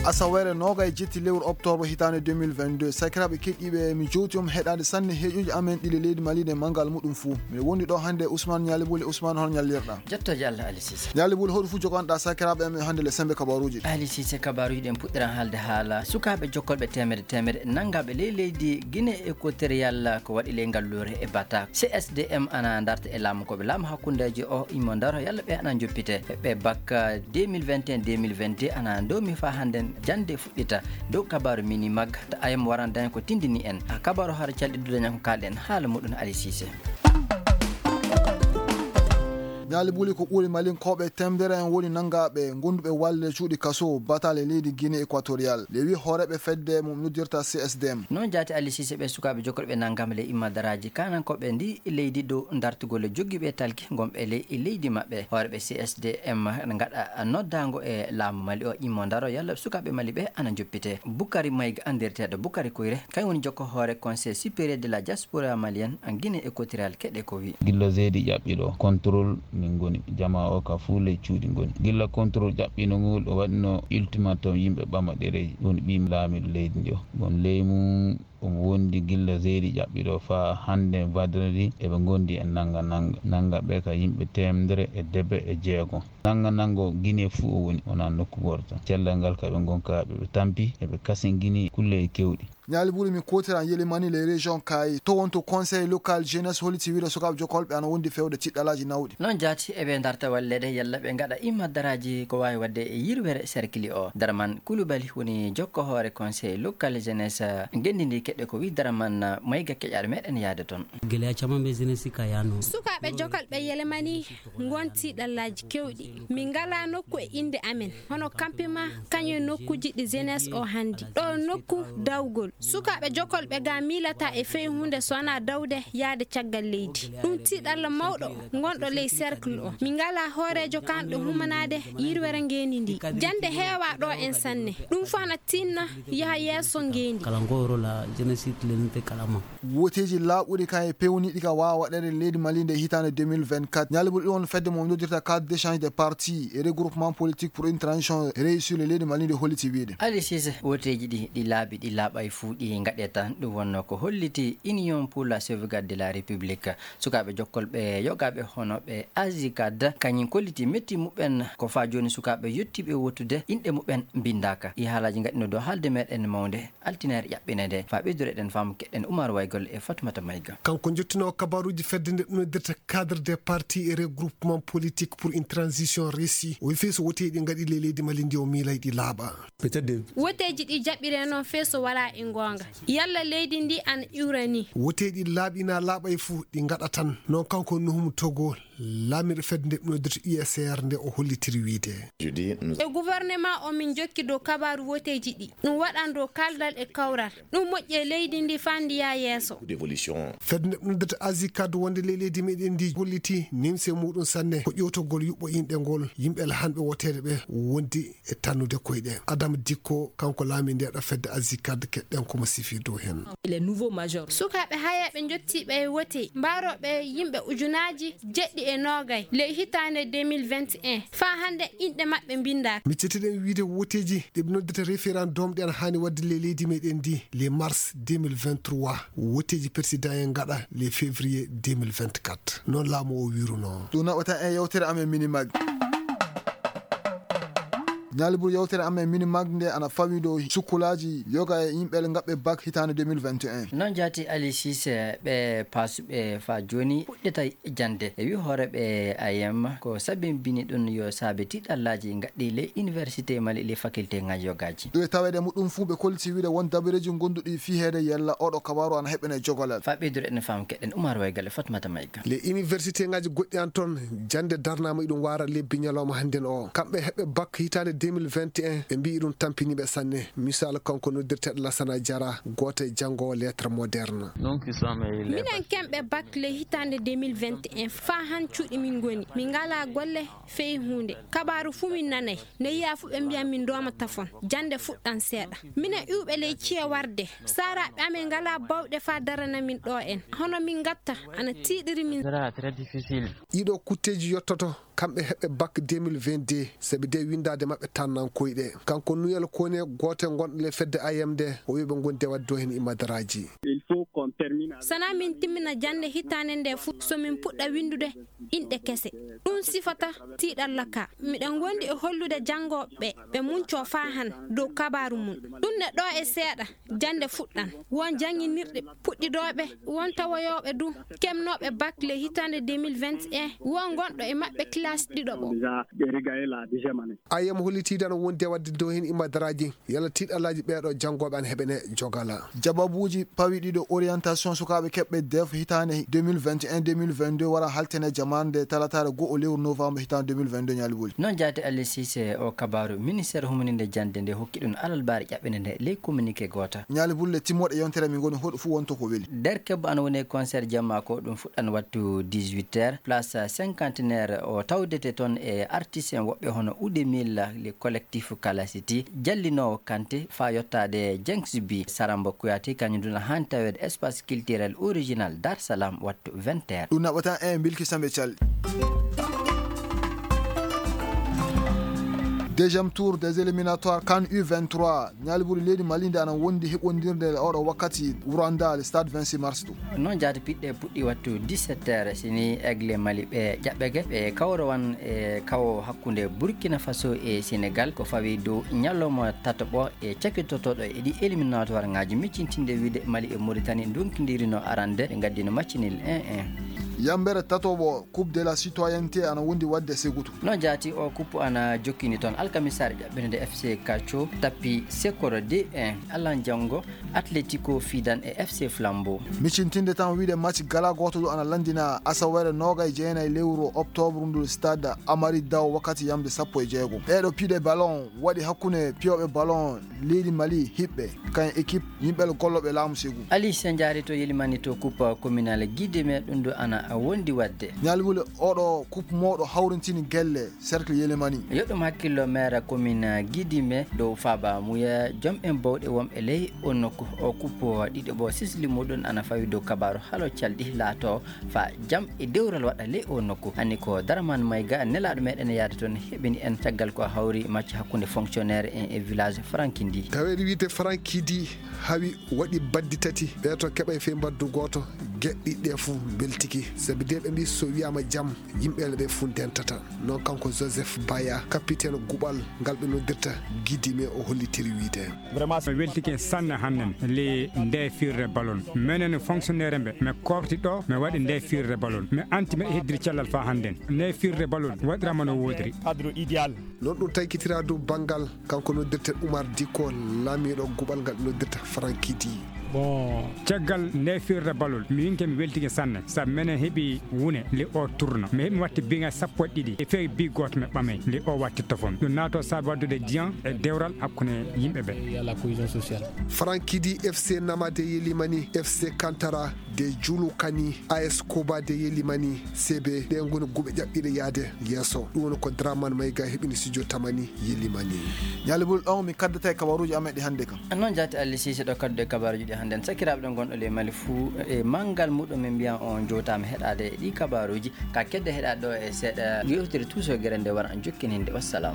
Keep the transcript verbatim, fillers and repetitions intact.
Asaweere noogay jetti lewru oktoobre hitaande deux mille vingt-deux. Sakiraaɓe keɗiiɓe, mi jowti on heɗaade sanne heeƴuuji amen ɗi le leydi Mali nde manngal muɗum fuu. Miɗo wondi ɗo hannde e Ousmane Ñaali Buli. Ousmane, hol ñallirɗa? Jottooje Allah, Ali Cissé. Ñaali Buli, hoɗum fuu joganɗa sakiraaɓe amen hannde le sembe kabaruuji? Ali Cissé, kabaruuji ɗen puɗɗiran haalde haala sukaaɓe jokkolɓe teemedde teemedde nanngaaɓe ley leydi Guinée Équatoriale ko waɗi ley ngalluure e Bata. C S D M ana darta e laamu ko ɓe laamu hakkundeeji o immo ndaro yalla ɓe ana njoppite. Ɓe bakka deux mille vingt et un, deux mille vingt-deux ana ndoomi faa hannden jannde fuɗɗita. Dow kabaaru Minimag, ta ayam waran daña ko tindini en. A kabaaru hara calɗi dudaña ko kaalɗen haala muɗum Ali Cissé. Ñaali Buli, ko ɓuri Malinkooɓe teemedere en woni nanngaaɓe gonduɓe walle cuuɗi kaso batale leydi Guinée Équatoriale. Le wi hooreeɓe fedde mum noddirta C S D M. Noon jaati Ali Cissé, ɓe sukaaɓe jokkorɓe nanngam le imma daraaji kanankooɓe ndi leydi dow dartugol e joggiiɓe talki gonɓe ley leydi maɓɓe. Hooreeɓe C S D M ngaɗa noddaango e laamu Mali o immo ndaro yalla sukaaɓe Mali ɓe ana njoppite. Bukari Mayga, anndirteeɗo Bukari Koyre, kañum woni jokko hoore Conseil supérieur de la diaspora malienne en Guinée Équatoriale, keɗe ko wi. Gilla zeedi ƴaɓɓi ɗo, contrôle min ngoni. Jamaa o ka fuu ley cuuɗi ngoni. Gilla contrôle ƴaɓɓino ngol, o waɗino ultimatum yimɓe ɓama ɗereeji. Woni ɓii laamiiɗo leydi ndi o. Bon, ley mum omo wondi gilla zeedi ƴaɓɓi ɗo faa hannde vendredi eɓe ngondi e nannga nannga. Nannga ɓe ka yimɓe teemedere e debe e jeego. Nannga nanngo Guinée fuu o woni, wonaa nokku gooto tan. Cellal ngal ka ɓe ngonka ɓe, ɓe tampi, eɓe kasingini kulle e kewɗi. Ñaali Buli, mi kootiran yelimani les régions kaayi. To wonto conseil local jeunesse holliti wiide sukaaɓe jokolɓe ana wondi fewde tiɗɗalaaji nawɗi. Noon jaati eɓe darta walleede yalla ɓe ngaɗa imma daraaji ko waawi waɗde e yirwere cercle o. Daraman Koulibaly woni jokko hoore conseil local jeunesse ngenndi ndi keɗe ko wi Daraman Mayga keƴaɗo meɗen yaade toon. Gele a caman ɓe jeunesse ka yaano. Sukaaɓe jokolɓe yelemani ngon tiɗɗalaaji kewɗi. Min ngalaa nokku e innde amen, hono campement, kañum e nokkuuji ɗi jeunesse o hanndi. Ɗo nokku dawgol. Sukaaɓe jokolɓe ga miilata e fey huunde so wonaa dawde yaade caggal leydi. Ɗum tiɗalla mawɗo ngonɗo ley cercle o. Min ngalaa hooreejo kanɗo humanaade yirwere ngeendi ndi. Jannde heewaa ɗo en sanne. Ɗum fof na tinna yaha yeeso ngeendi. Kala ngo rôle a jeunesse leninte kala ma. Woteeji laaɓuɗi kan e peewniiɗi ka waawa waɗeede leydi Mali nde hitaande deux mille vingt-quatre. Ñaali Buli, ɗum woni fedde mo noddirta cadre d'échange des partis et regroupements politiques pour une transition réussie le leydi Mali nde holliti wiide. Ali Cissé, woteeji ɗi, ɗi laaɓi, ɗi laaɓay fuu, ɗi ngaɗee tan. Ɗum wonnoo ko holliti Union pour la sauvegarde de la République. Sukaaɓe jokkolɓe yogaaɓe hono ɓe Azicad, kañum kolliti metti muɓɓen ko faa jooni sukaaɓe yottiiɓe wottude inɗe muɓɓen mbinndaaka. Ɗi haalaaji ngaɗino dow haalde meɗen mawnde. Altinaire ƴaɓɓinede. Faa ɓeydureɗen faamu keɗen Oumar Waygol e Fatoumata Maïga. Kanko jottinoowo kabaruuji fedde nde ɗum noddirta cadre des partis et regroupements politiques pour une transition réussie. O wi fii so woteeji ɗi ngaɗi ley leydi Mali ndi o miilay ɗi laaɓa. Peut-être des Woteeji ɗi jaɓɓire noon fee so walaa e ngoonga. Yalla leydi ndi ana iwra ni? Woteeji ɗi laaɓi na laaɓay fuu ɗi ngaɗa tan. Noon kanko Nuhum Togo, laamiiɗo fedde nde ɗum noddirta U S R nde o hollitiri wiide. E gouvernement o min jokki dow kabaaru woteeji ɗi. Ɗum waɗan dow kaldal e kawral. Ɗum moƴƴi e leydi ndi faa ndi yaa yeeso. Fedde nde ɗum noddirta Azicad wonde ley leydi meɗen ndi holliti nimse muɗum sanne ko ƴewtogol yuɓɓo inɗe ngol yimɓe lahanɓe woteede ɓe wondi e tannude koyɗe. Adam Dikko, kanko laamiiɗo ndeeɗo fedde Azicad, keɗɗen ko mo sifi dow heen. Sukaaɓe hayeeɓe njottiiɓe e wote mbaarooɓe yimɓe ujunaaji jeɗɗi e noogay ley hitaande deux mille vingt et un. Faa hannde inɗe maɓɓe mbinndaaka. Miccitiɗen wiide woteeji ɗi ɓe noddata référendum ɗi ana haani waɗde ley leydi meɗen ndi le mars deux mille vingt-trois. Woteeji président en ngaɗa le février deux mille vingt-quatre. Noon laamu o wiirunoo. Ɗum naɓata e yewtere amen Minimag. Ñaali Buli, yewtere amen Minimag nde ana fawi dow sukkulaaji yoga e yimɓe ngaɓɓe bak hitaande deux mille vingt et un. Noon jaati Ali Cissé, ɓe paasuɓe faa jooni puɗɗitay jannde. E wi hooreeɓe A M ko sabimbini ɗum yo saabe tiɗallaaji ngaɗɗi le université Mali le faculté ngaji yogaaji. Ɗo e taweede muɗum fuu ɓe kolliti wiide won dabareeji gonduɗi fii heede yalla oɗo kabaru ana heɓɓene jogolal. Faa ɓeydude en faamu keɗen Oumar Waygol e Fatmata Maïga. Les université ngaji goɗɗi an toon jannde darnaama iɗum waara lebbi ñalawma hannden o. Kamɓe heɓɓe bak hitaande deux mille vingt et un ɓe mbiyi ɗum tampiniiɓe sanne. Misal kanko noddirteeɗo Lassana Diarra, gooto e janngoowo lettre moderne. Minen kemɓe bak le hitaande deux mille vingt et un faa han cuuɗi min ngoni. Min ngalaa golle fey huunde. Kabaaru fuu min nanay. Ne yiya fuu ɓe mbiya min ndooma tafon. Jannde fuɗɗan seeɗa. Minen iwɓe ley ciye warde. Saaraaɓe amen ngalaa bawɗe faa darana min ɗo en. Hono min ngatta ana tiiɗiri min. Ɗiɗo kutteeji yottoto. kamɓe heɓɓe bac deux mille vingt-deux, sabi de winndaade maɓɓe tannankoy ɗe. Kanko Nuyel Kone, gooto e gonɗo le fedde A M D, o wiyi ɓe ngondi e waɗde o heen imadaraaji. Sana min timmina jannde hitaande nde fof, so min puɗɗa winndude inɗe kese. Ɗum sifata tiiɗalla ka. Miɗen ngondi e hollude janngooɓe ɓe, ɓe muncoo faa han dow kabaaru mum. Ɗum ne ɗo e seeɗa, jannde fuɗɗan. Won jannginirɗe puɗɗidooɓe, won tawoyooɓe du, keɓnooɓe bac le hitaande deux mille vingt et un, won gonɗo e maɓɓe classe ɗiɗo ɓo. A M hollitiiɗo ana wondi e waɗde dow heen imadaraaji, yalla tiiɗallaaji ɓeeɗo janngooɓe ana heɓene jogala. Jababuuji pawi ɗiɗo orientation sukaaɓe keɓɓe def hitaande deux mille vingt et un deux mille vingt-deux wara haltene jamaande talataare go'o lewru novembre hitaande deux mille vingt-deux ñaali boli. Noon jaati Aliou Cissé o kabaaru, ministère humaninde jannde nde hokki ɗum alalbaare ƴaɓɓinde nde ley communiqué goota. Ñaali bulle timmooɗe yontere min ngoni hoɗo fof wonto ko weli. Derke bo ana woni e concert jamma ko ɗum fuɗɗan wattu dix-huit heures, place cinquantenaire o tawdete toon e artiste en woɓɓe hono Oudemil, le collectif Kala City, jallinoowo Kanté, faa yottaade Jenks Bi, Saramba Kouyaté, kañum duna haan taweede espace culturel original Dar Salam wattu vingt heures. Ɗum naɓata en Bilki Sambe Thial. Deuxième tour des éliminatoires CAN U vingt-trois. Ñaali buli leydi Mali nde ana wondi heɓondirde oɗo wakkati Wuranda, le stade vingt-six mars ɗo. Noon jaati piɗɗe puɗɗi wattu dix-sept heures, sini Aigle Mali ɓe ƴaɓɓege, ɓe kawrowan e kawo hakkunde Burkina Faso e Sénégal, ko fawi dow ñalawma tataɓo e cakitotoɗo e ɗi éliminatoire ngaji, miccintinde wiide Mali e Mauritanie ndonkindirino arande, ɓe ngaddino match nul un un. Yambere tatoɓo Coupe de la Citoyenneté ana wondi wadde segutu. No jaati o kuppu ana jokkini toon alkamisaare ƴaɓɓirinde F C Cacho tappi Sekoro deux un. Allan janngo Atletico fiidan e F C Flambeau. Miccintinde tan wiide match gala gooto ɗo ana lanndina asawere noogay jeenay lewru octobre ndu stade Amari Daw wakkati yamde sappo e jeego. Ɗeeɗo piɗe ballon waɗi hakkunde piyooɓe ballon leydi Mali hiɓɓe kan équipe yimɓe gollooɓe laamu segu. Ali Senjaari to Yelimani to coupe communale Guideme ɗum ɗo ana wondi wadde. Ñaali wuli oɗo coupe mawɗo hawrintini gelle cercle Yelimani. Yo ɗum hakkillo maire commune Guidime dow Faaba Muya, joom en bawɗe wonɓe ley o nokku. O coupe ɗiɗo ɓo sisli muɗum ana fawi dow kabaru halo calɗi laato fa jam e dewral waɗa ley o nokku. Anni ko Daraman Mayga nelaɗo meɗen yaade toon heɓini en caggal ko hawri match hakkunde fonctionnaire en e village Frankindi. Taweede wiide Frankindi hawi waɗi baddi tati, ɓe to keɓa e fey mbaddu gooto, geɗɗi ɗe fof mbeltiki. Sabi de ɓe mbi so wiyama jam, yimɓe ɓe fof ndentata. Noon kanko Joseph Baya, capitaine guɓal ngal ɓe noddirta Guidime, o hollitiri wiide. Vraiment, mi weltike sanne hannden le nde firre ballon. Menen fonctionnaire mbe, mi kofti ɗo, mi waɗi nde firre ballon. Mi anti mi heddiri cellal fa hannden. Nde firre ballon waɗirama no wodiri. Cadre idéal. Noon ɗum taykitira dow banngal kanko noddirte Oumar Dicko, laamiiɗo guɓal ngal ɓe noddirta Frankidi. Bon, caggal nde firre ballon, mi winke mi weltike sanne. Sabu menen heɓi wune le o tourno. Mi heɓi watti biŋa sappo e ɗiɗi. E fewi bi gooto mi ɓamay. Le o watti tofon. Ɗum naato saabi waddude diyan e dewral hakkunde yimɓe ɓe. Il y a la cohésion sociale. Frankidi, F C Namade Yelimani, F C Kantara de Julu Kani, A S Koba de Yelimani, C B, ɗe ngoni guɓe ƴaɓɓiɗe yaade yeeso. Ɗum woni ko Dramane Mayga heɓini studio Tamani Yelimani. Ñaali bul ɗon mi kaddata e kabaruuji amen ɗi hannde kan. Noon jaati Ali Sise ɗo kaddu e kabaruuji ɗi hannde. Sakiraaɓe ɗo ngonɗo le Mali fuu e manngal muɗum min mbiyan on jowtaama heɗaade e ɗi kabaruuji. Ka kedde heɗaade ɗo e seeɗa yewtere tuusogere nde wara jokkininde. Wassalam.